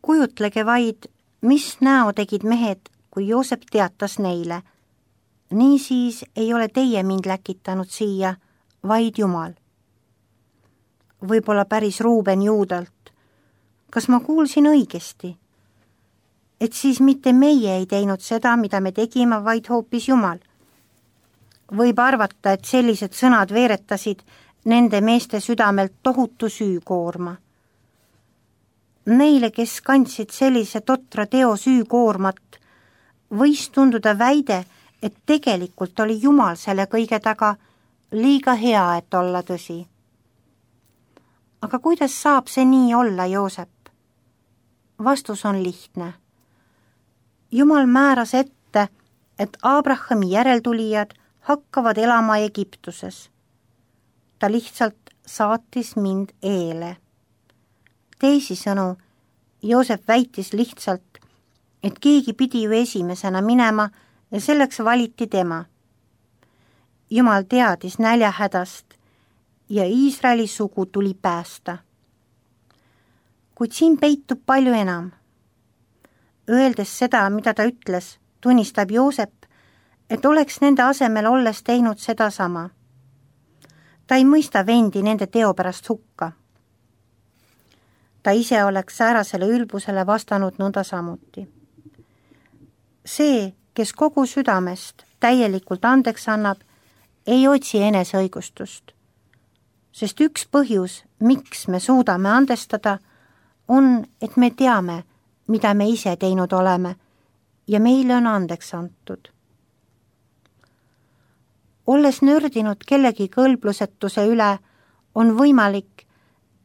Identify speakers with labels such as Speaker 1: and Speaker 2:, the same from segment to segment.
Speaker 1: Kujutlege vaid, mis näo tegid mehed, kui Joosep teatas neile. Niisiis ei ole teie mind läkitanud siia, vaid Jumal. Võib-olla päris Ruuben Juudalt. Kas ma kuulsin õigesti? Et siis mitte meie ei teinud seda, mida me tegime, vaid hoopis Jumal. Võib arvata, et sellised sõnad veeretasid nende meeste südamelt tohutu süükoorma. Neile, kes kandsid sellise totra teo süükoormat, võis tunduda väide, et tegelikult oli Jumal selle kõige taga liiga hea, et olla tõsi. Aga kuidas saab see nii olla, Joosep? Vastus on lihtne. Jumal määras ette, et Abrahami järeltulijad hakkavad elama Egiptuses. Ta lihtsalt saatis mind eele. Teisisõnu, Joosep väitis lihtsalt, et keegi pidi ju esimesena minema ja selleks valiti tema. Jumal teadis näljahädast ja Iisraeli sugu tuli päästa. Kuid siin peitub palju enam. Öeldes seda, mida ta ütles, tunnistab Joosep, et oleks nende asemel olles teinud seda sama. Ta ei mõista vendi nende teo pärast hukka. Ta ise oleks säärasele ülbusele vastanud nõnda samuti. See, kes kogu südamest täielikult andeks annab, ei otsi eneseõigustust. Sest üks põhjus, miks me suudame andestada, on, et me teame, mida me ise teinud oleme ja meile on andeks antud. Olles nördinud kellegi kõlblusetuse üle, on võimalik,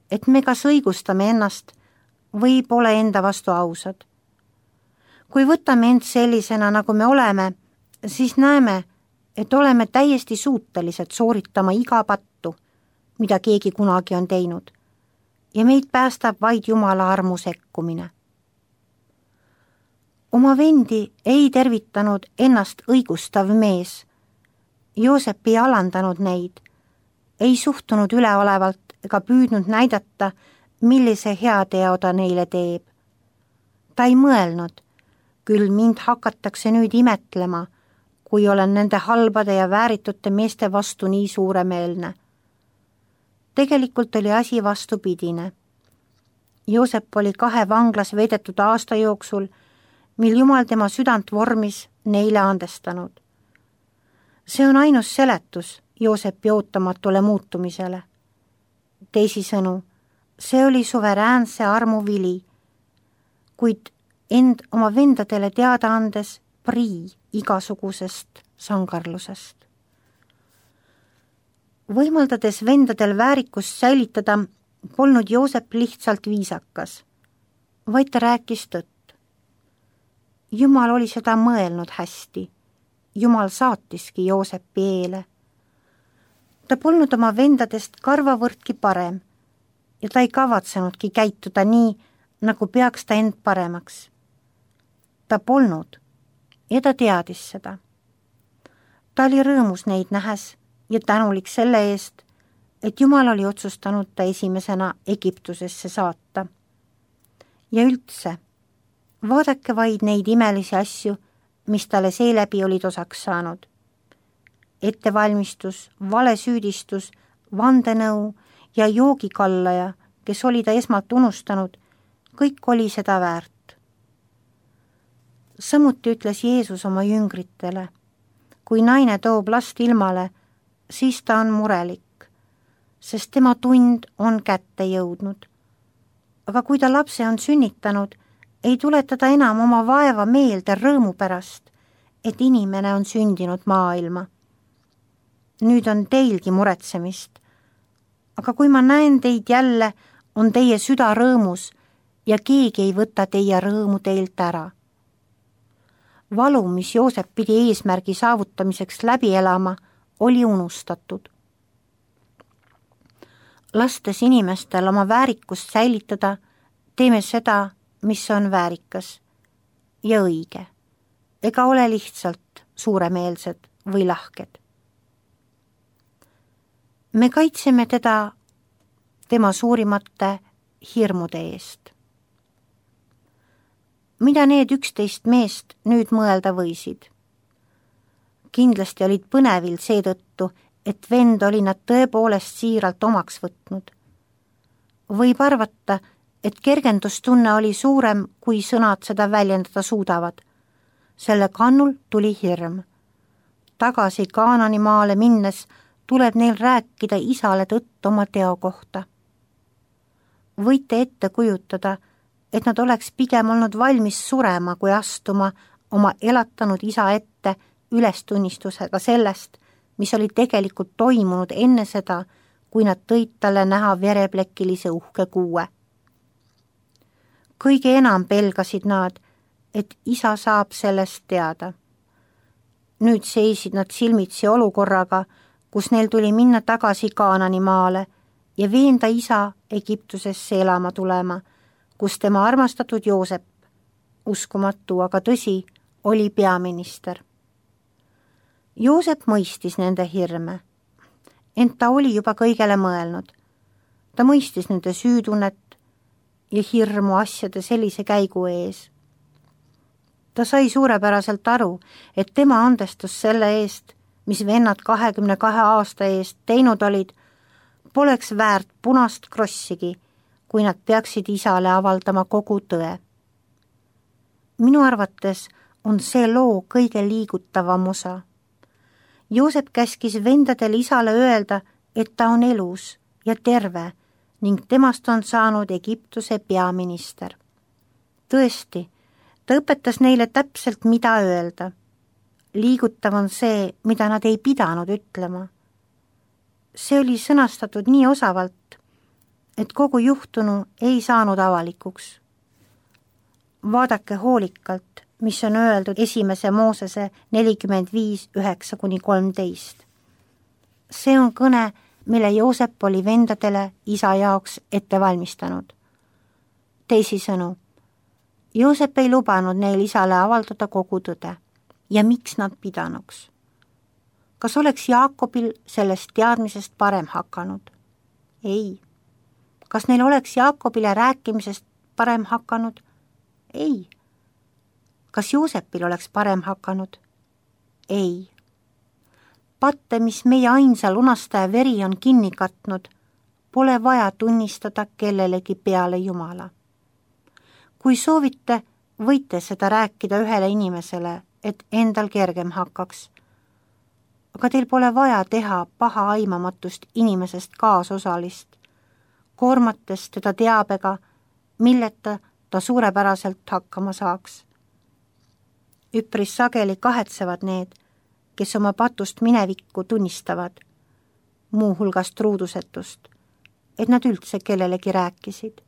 Speaker 1: et me kas õigustame ennast või pole enda vastu ausad. Kui võtame end sellisena, nagu me oleme, siis näeme, et oleme täiesti suutelised sooritama iga pattu, mida keegi kunagi on teinud, ja meid päästab vaid Jumala armu sekkumine. Oma vendi ei tervitanud ennast õigustav mees. Joosep ei alandanud neid, ei suhtunud üleolevalt ega püüdnud näidata, millise heateo ta neile teeb. Ta ei mõelnud, küll mind hakatakse nüüd imetlema, kui olen nende halbade ja vääritute meeste vastu nii suuremeelne. Tegelikult oli asi vastupidine. Joosep oli 2 vanglas veedetud aasta jooksul, mil Jumal tema südant vormis neile andestanud. See on ainus seletus Joosepi ootamatule muutumisele. Teisisõnu, see oli suveräänse armu vili, kuid end oma vendadele teada andes prii igasugusest sangarlusest. Võimaldades vendadel väärikust säilitada, polnud Joosep lihtsalt viisakas, vaid ta rääkis tõtt. Jumal oli seda mõelnud hästi. Jumal saatiski Joosepi eele. Ta polnud oma vendadest karvavõrdki parem ja ta ei kavatsenudki käituda nii, nagu peaks ta end paremaks. Ta polnud ja ta teadis seda. Ta oli rõõmus neid nähes ja tänulik selle eest, et Jumal oli otsustanud ta esimesena Egiptusesse saata. Ja üldse, vaadake vaid neid imelisi asju, mis talle seeläbi olid osaks saanud. Ettevalmistus, valesüüdistus, vandenõu ja joogikallaja, kes oli ta esmalt unustanud, kõik oli seda väärt. Samuti ütles Jeesus oma jüngritele, kui naine toob last ilmale, siis ta on murelik, sest tema tund on kätte jõudnud. Aga kui ta lapse on sünnitanud, ei tuleta ta enam oma vaeva meelde rõõmu pärast, et inimene on sündinud maailma. Nüüd on teilgi muretsemist, aga kui ma näen teid jälle, on teie süda rõõmus ja keegi ei võta teie rõõmu teilt ära. Valu, mis Joosep pidi eesmärgi saavutamiseks läbi elama, oli unustatud. Lastes inimestel oma väärikust säilitada, teeme seda, mis on väärikas ja õige, ega ole lihtsalt suuremeelsed või lahked. Me kaitseme teda tema suurimate hirmude eest. Mida need 11 meest nüüd mõelda võisid? Kindlasti olid põnevil seetõttu, et vend oli nad tõepoolest siiralt omaks võtnud. Võib arvata, et kergendustunne oli suurem, kui sõnad seda väljendada suudavad. Selle kannul tuli hirm. Tagasi Kaanani maale minnes tuleb neil rääkida isale tõtt oma teo kohta. Võite ette kujutada, et nad oleks pigem olnud valmis surema, kui astuma oma elatanud isa ette ülestunnistusega sellest, mis oli tegelikult toimunud enne seda, kui nad tõid talle näha vereplekilise uhke kuue. Kõige enam pelgasid nad, et isa saab sellest teada. Nüüd seisid nad silmitsi olukorraga, kus neil tuli minna tagasi Kaanani maale ja veenda isa Egiptusesse elama tulema, kus tema armastatud Joosep, uskumatu, aga tõsi, oli peaminister. Joosep mõistis nende hirme, ent ta oli juba kõigele mõelnud. Ta mõistis nende süütunnet ja hirmu asjade sellise käigu ees. Ta sai suurepäraselt aru, et tema andestus selle eest, mis vennad 22 aasta eest teinud olid, poleks väärt punast krossigi, kui nad peaksid isale avaldama kogu tõe. Minu arvates on see loo kõige liigutavam osa. Joosep käskis vendadel isale öelda, et ta on elus ja terve ning temast on saanud Egiptuse peaminister. Tõesti, ta õpetas neile täpselt, mida öelda. Liigutav on see, mida nad ei pidanud ütlema. See oli sõnastatud nii osavalt, et kogu juhtunu ei saanud avalikuks. Vaadake hoolikalt, mis on öeldud 1. Moosese 45:9-13. See on kõne, mille Joosep oli vendadele isa jaoks ette valmistanud. Teisisõnu, Joosep ei lubanud neil isale avaldada kogu tõde. Ja miks nad pidanuks? Kas oleks Jaakobil sellest teadmisest parem hakanud? Ei. Kas neil oleks Jaakobile rääkimisest parem hakanud? Ei. Kas Joosepil oleks parem hakanud? Ei. Patte, mis meie ainsa lunastaja veri on kinni katnud, pole vaja tunnistada kellelegi peale Jumala. Kui soovite, võite seda rääkida ühele inimesele, et endal kergem hakkaks. Aga teil pole vaja teha paha aimamatust inimesest kaasosalist, koormates teda teabega, milleta ta suurepäraselt hakkama saaks. Üpris sageli kahetsevad need, kes oma patust minevikku tunnistavad, muuhulgas truudusetust, et nad üldse kellelegi rääkisid.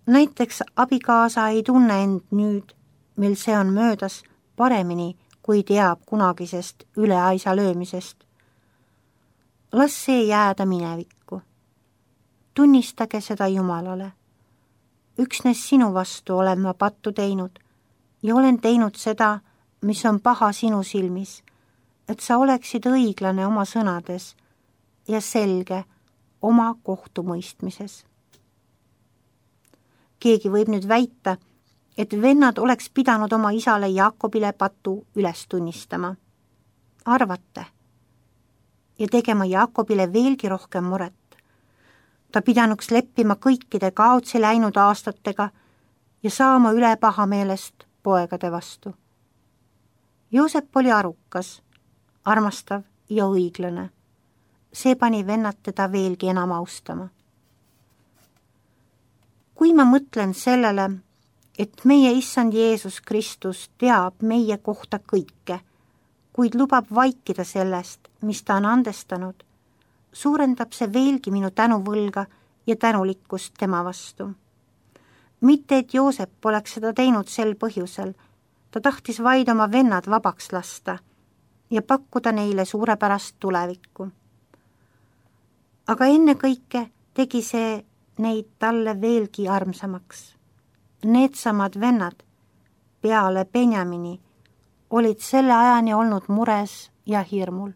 Speaker 1: Näiteks abikaasa ei tunne end nüüd, mil see on möödas, paremini, kui teab kunagisest üleaisa löömisest. Las see jääda minevikku. Tunnistage seda Jumalale. Üksnes sinu vastu olen ma pattu teinud ja olen teinud seda, mis on paha sinu silmis, et sa oleksid õiglane oma sõnades ja selge oma kohtumõistmises. Keegi võib nüüd väita, et vennad oleks pidanud oma isale Jaakobile patu üles tunnistama. Arvate. Ja tegema Jaakobile veelgi rohkem muret. Ta pidanuks leppima kõikide kaotsi läinud aastatega ja saama üle pahameelest poegade vastu. Joosep oli arukas, armastav ja õiglane. See pani vennad teda veelgi enam austama. Kui ma mõtlen sellele, et meie issand Jeesus Kristus teab meie kohta kõike, kuid lubab vaikida sellest, mis ta on andestanud, suurendab see veelgi minu tänuvõlga ja tänulikkust tema vastu. Mitte, et Joosep oleks seda teinud sel põhjusel, ta tahtis vaid oma vennad vabaks lasta ja pakkuda neile suurepärast tulevikku. Aga ennekõike tegi see neid talle veelgi armsamaks. Needsamad vennad peale Benjamini olid selle ajani olnud mures ja hirmul.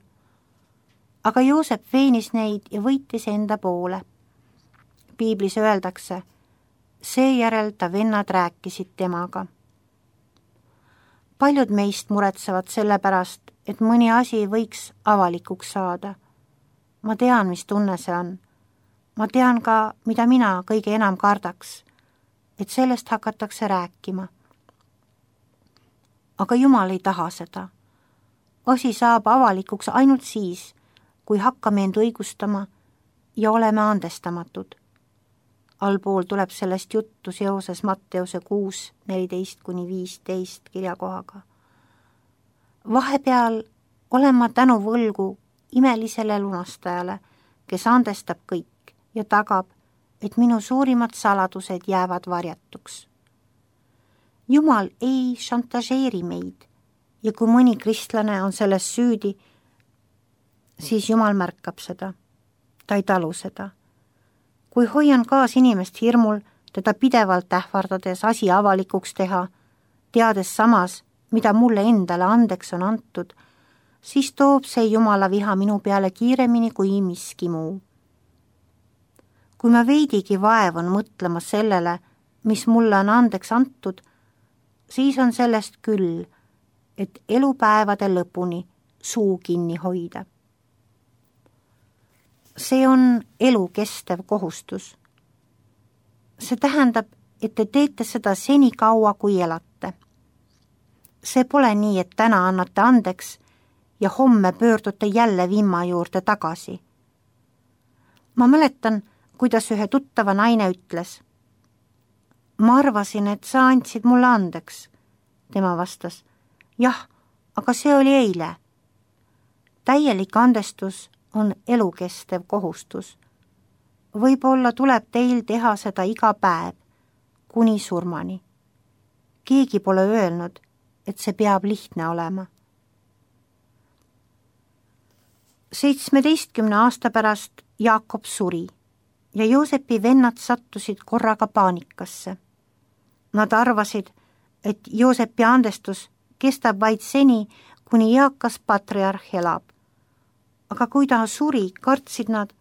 Speaker 1: Aga Joosep veenis neid ja võitis enda poole. Piiblis öeldakse, Seejärel ta vennad rääkisid temaga. Paljud meist muretsevad selle pärast, et mõni asi võiks avalikuks saada. Ma tean, mis tunne see on. Ma tean ka, mida mina kõige enam kardaks, et sellest hakatakse rääkima. Aga Jumal ei taha seda. Asi saab avalikuks ainult siis, kui hakkame end õigustama ja oleme andestamatud. Allpool tuleb sellest juttu seoses Matteuse 6, 14-15 kirjakohaga. Vahepeal olen ma tänu võlgu imelisele lunastajale, kes andestab kõik ja tagab, et minu suurimad saladused jäävad varjatuks. Jumal ei šantažeeri meid ja kui mõni kristlane on selles süüdi, siis Jumal märkab seda. Ta ei talu seda. Kui hoian kaas inimest hirmul, teda pidevalt ähvardades asi avalikuks teha, teades samas, mida mulle endale andeks on antud, siis toob see Jumala viha minu peale kiiremini kui miski muu. Kui ma veidigi vaevun mõtlema sellele, mis mulle on andeks antud, siis on sellest küll, et elupäevade lõpuni suu kinni hoida. See on elu kestev kohustus. See tähendab, et te teete seda seni kaua, kui elate. See pole nii, et täna annate andeks ja homme pöördute jälle vimma juurde tagasi. Ma mäletan, kuidas ühe tuttava naine ütles. Ma arvasin, et sa andsid mulle andeks. Tema vastas, jah, aga see oli eile. Täielik andestus on elukestev kohustus. Võib-olla tuleb teil teha seda iga päev, kuni surmani. Keegi pole öelnud, et see peab lihtne olema. 17 aasta pärast Jaakob suri ja Joosepi vennad sattusid korraga paanikasse. Nad arvasid, et Joosepi andestus kestab vaid seni, kuni eakas patriarh elab. Aga kui ta suri, kartsid nad,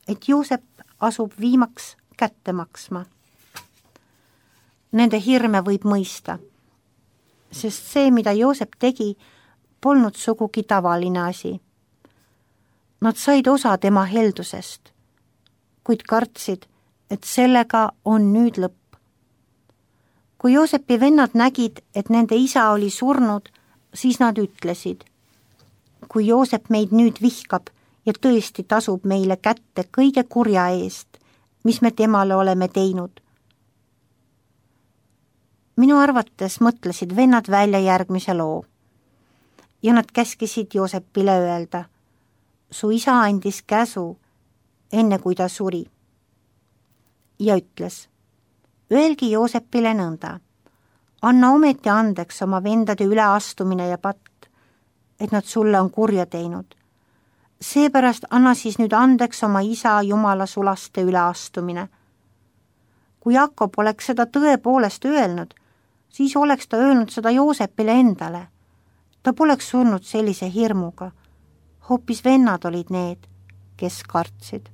Speaker 1: et Joosep asub viimaks kätte maksma. Nende hirme võib mõista, sest see, mida Joosep tegi, polnud sugugi tavaline asi. Nad said osa tema heldusest, kuid kartsid, et sellega on nüüd lõpp. Kui Joosepi vennad nägid, et nende isa oli surnud, siis nad ütlesid, kui Joosep meid nüüd vihkab ja tõesti tasub meile kätte kõige kurja eest, mis me temale oleme teinud. Minu arvates mõtlesid vennad välja järgmise loo ja nad käskisid Joosepile öelda, su isa andis käsu, enne kui ta suri. Ja ütles, öelgi Joosepile nõnda, anna ometi andeks oma vendade üleastumine ja patt, et nad sulle on kurja teinud. Seepärast anna siis nüüd andeks oma isa Jumala sulaste üleastumine. Kui Jakob oleks seda tõepoolest öelnud, siis oleks ta öelnud seda Joosepile endale. Ta poleks surnud sellise hirmuga. Hoopis vennad olid need, kes kartsid.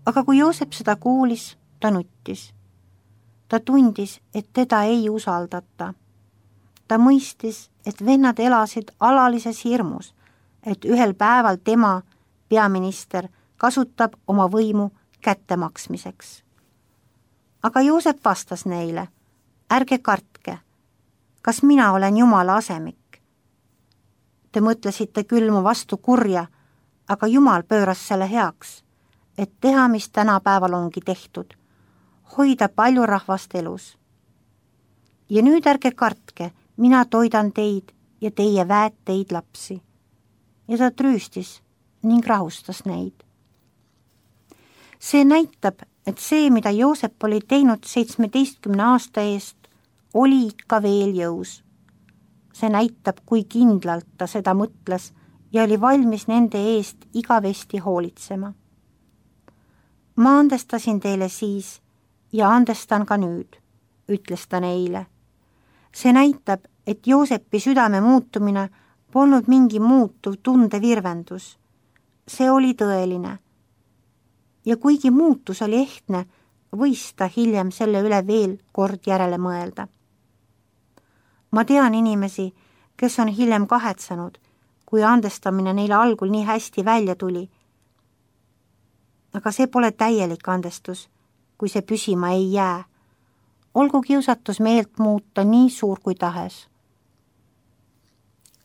Speaker 1: Aga kui Joosep seda kuulis, ta nuttis. Ta tundis, et teda ei usaldata. Ta mõistis, et vennad elasid alalises hirmus, et ühel päeval tema, peaminister, kasutab oma võimu kättemaksmiseks. Aga Joosep vastas neile, ärge kartke, kas mina olen Jumala asemik? Te mõtlesite küll mu vastu kurja, aga Jumal pööras selle heaks, et teha, mis tänapäeval ongi tehtud, hoida palju rahvast elus. Ja nüüd ärge kartke, mina toidan teid ja teie väed teid lapsi. Ja ta trüüstis ning rahustas neid. See näitab, et see, mida Joosep oli teinud 17 aasta eest, oli ikka veel jõus. See näitab, kui kindlalt ta seda mõtles ja oli valmis nende eest igavesti hoolitsema. Ma andestasin teile siis ja andestan ka nüüd, ütles ta neile. See näitab, et Joosepi südame muutumine polnud mingi muutuv tundevirvendus. See oli tõeline. Ja kuigi muutus oli ehtne, võis ta hiljem selle üle veel kord järele mõelda. Ma tean inimesi, kes on hiljem kahetsenud, kui andestamine neile algul nii hästi välja tuli. Aga see pole täielik andestus, kui see püsima ei jää. Olgu kiusatus meelt muuta nii suur kui tahes.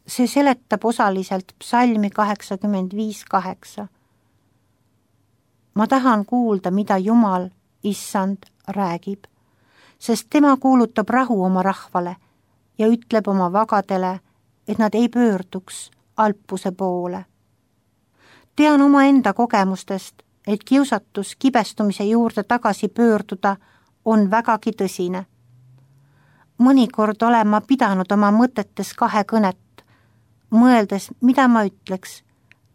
Speaker 1: See seletab osaliselt psalmi 85:8. Ma tahan kuulda, mida Jumal, Issand, räägib, sest tema kuulutab rahu oma rahvale ja ütleb oma vagadele, et nad ei pöörduks alpuse poole. Tean omaenda kogemustest, et kiusatus kibestumise juurde tagasi pöörduda on vägagi tõsine. Mõnikord olen ma pidanud oma mõtetes kahekõnet, mõeldes, mida ma ütleks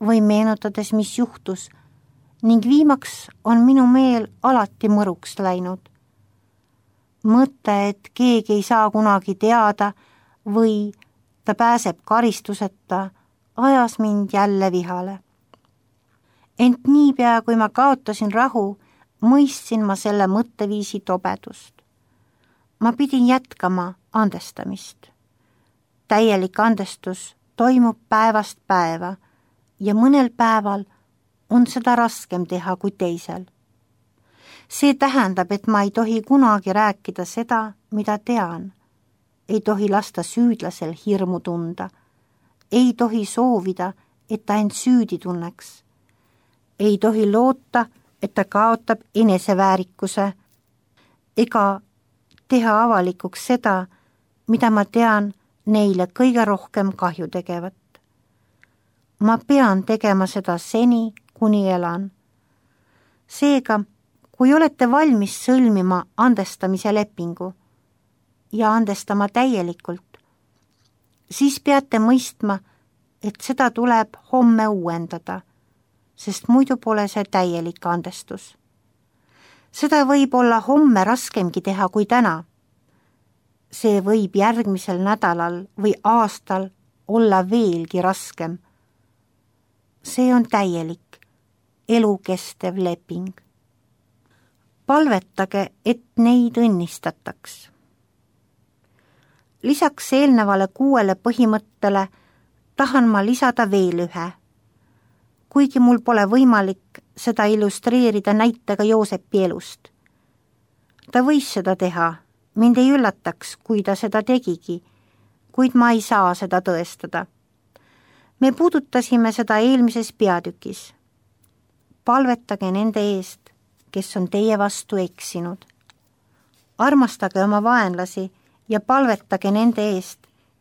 Speaker 1: või meenutades, mis juhtus, ning viimaks on minu meel alati mõruks läinud. Mõte, et keegi ei saa kunagi teada või ta pääseb karistuseta, ajas mind jälle vihale. Ent niipea, kui ma kaotasin rahu, mõistsin ma selle mõtteviisi tobedust. Ma pidin jätkama andestamist. Täielik andestus toimub päevast päeva ja mõnel päeval on seda raskem teha kui teisel. See tähendab, et ma ei tohi kunagi rääkida seda, mida tean. Ei tohi lasta süüdlasel hirmu tunda. Ei tohi soovida, et ta end süüdi tunneks. Ei tohi loota, et ta kaotab eneseväärikuse ega teha avalikuks seda, mida ma tean neile kõige rohkem kahju tegevat. Ma pean tegema seda seni, kuni elan. Seega, kui olete valmis sõlmima andestamise lepingu ja andestama täielikult, siis peate mõistma, et seda tuleb homme uuendada, sest muidu pole see täielik andestus. Seda võib olla homme raskemgi teha kui täna. See võib järgmisel nädalal või aastal olla veelgi raskem. See on täielik, elukestev leping. Palvetage, et neid õnnistataks. Lisaks eelnevale 6 põhimõttele tahan ma lisada veel ühe. Kuigi mul pole võimalik seda illustreerida näitega Joosepi elust. Ta võis seda teha, mind ei üllataks, kui ta seda tegigi, kuid ma ei saa seda tõestada. Me puudutasime seda eelmises peatükis. Palvetage nende eest, kes on teie vastu eksinud. Armastage oma vaenlasi ja palvetage nende eest,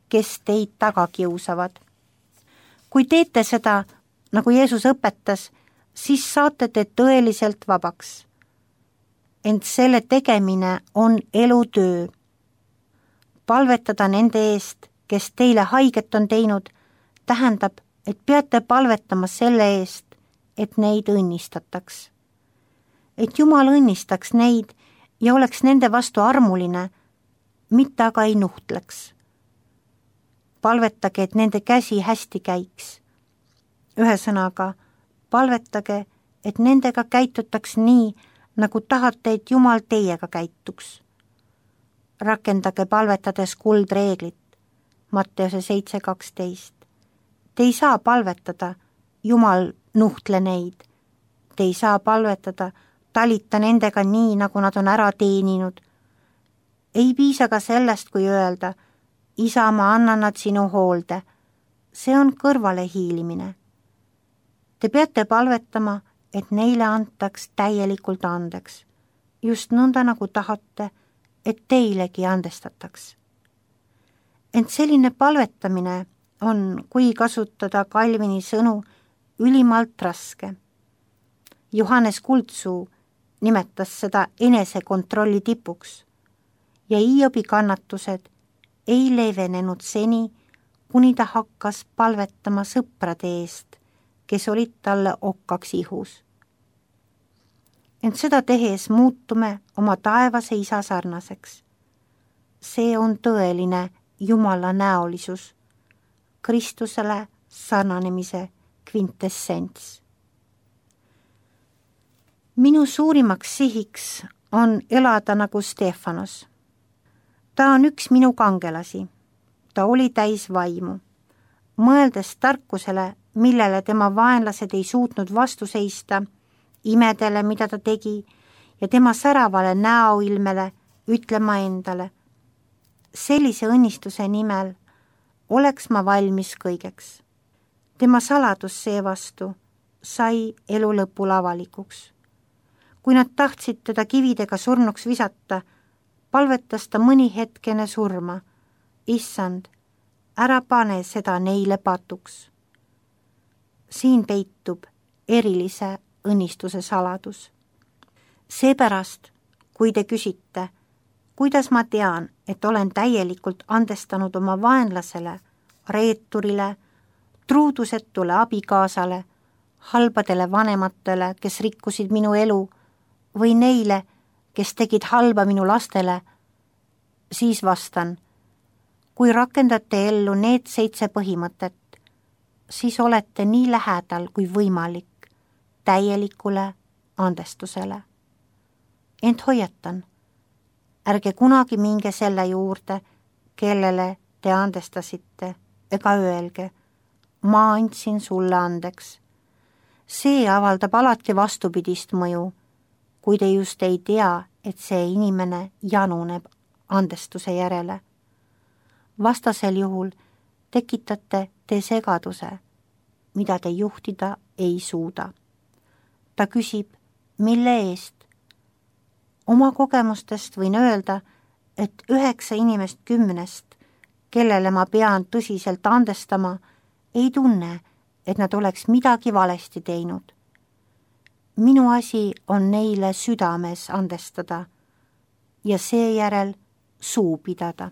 Speaker 1: kes teid taga kiusavad. Kui teete seda, nagu Jeesus õpetas, siis saate te tõeliselt vabaks. Ent selle tegemine on elutöö. Palvetada nende eest, kes teile haiget on teinud, tähendab, et peate palvetama selle eest, et neid õnnistataks. Et Jumal õnnistaks neid ja oleks nende vastu armuline, mitte aga ei nuhtleks. Palvetage, et nende käsi hästi käiks. Ühesõnaga, palvetage, et nendega käitutaks nii, nagu tahate, et Jumal teiega käituks. Rakendage palvetades kuldreeglit, Matteuse 7:12. Te ei saa palvetada, Jumal nuhtle neid. Te ei saa palvetada, talita nendega nii, nagu nad on ära teeninud. Ei piisa ka sellest, kui öelda, Isa, ma annan nad sinu hoolde. See on kõrvale hiilimine. Te peate palvetama, et neile antaks täielikult andeks, just nõnda nagu tahate, et teilegi andestataks. Ent selline palvetamine on, kui kasutada Calvini sõnu, ülimalt raske. Johannes Kuldsuu nimetas seda enesekontrolli tipuks ja Hiobi kannatused ei leevenenud seni, kuni ta hakkas palvetama sõprade eest, kes olid talle okkaks ihus. Ent seda tehes muutume oma taevase isa sarnaseks. See on tõeline Jumala näolisus, Kristusele sarnanemise kvintessents. Minu suurimaks sihiks on elada nagu Stefanos. Ta on üks minu kangelasi. Ta oli täis vaimu. Mõeldes tarkusele, millele tema vaenlased ei suutnud vastu seista, imedele, mida ta tegi, ja tema säravale näoilmele, ütlema endale, sellise õnnistuse nimel oleks ma valmis kõigeks. Tema saladus seevastu sai elu lõpul avalikuks. Kui nad tahtsid teda kividega surnuks visata, palvetas ta mõni hetkene surma. Issand, ära pane seda neile patuks. Siin peitub erilise õnnistuse saladus. Seepärast, kui te küsite, kuidas ma tean, et olen täielikult andestanud oma vaenlasele, reeturile, truudusetule abikaasale, halbadele vanematele, kes rikkusid minu elu, või neile, kes tegid halba minu lastele, siis vastan, kui rakendate ellu need 7 põhimõtet, siis olete nii lähedal kui võimalik täielikule andestusele. Ent hoiatan, ärge kunagi minge selle juurde, kellele te andestasite, ega öelge, ma andsin sulle andeks. See avaldab alati vastupidist mõju, kui te just ei tea, et see inimene januneb andestuse järele. Vastasel juhul tekitate te segaduse, mida te juhtida ei suuda. Ta küsib, mille eest? Oma kogemustest võin öelda, et 9 inimest 10, kellele ma pean tõsiselt andestama, ei tunne, et nad oleks midagi valesti teinud. Minu asi on neile südames andestada ja seejärel suu pidada.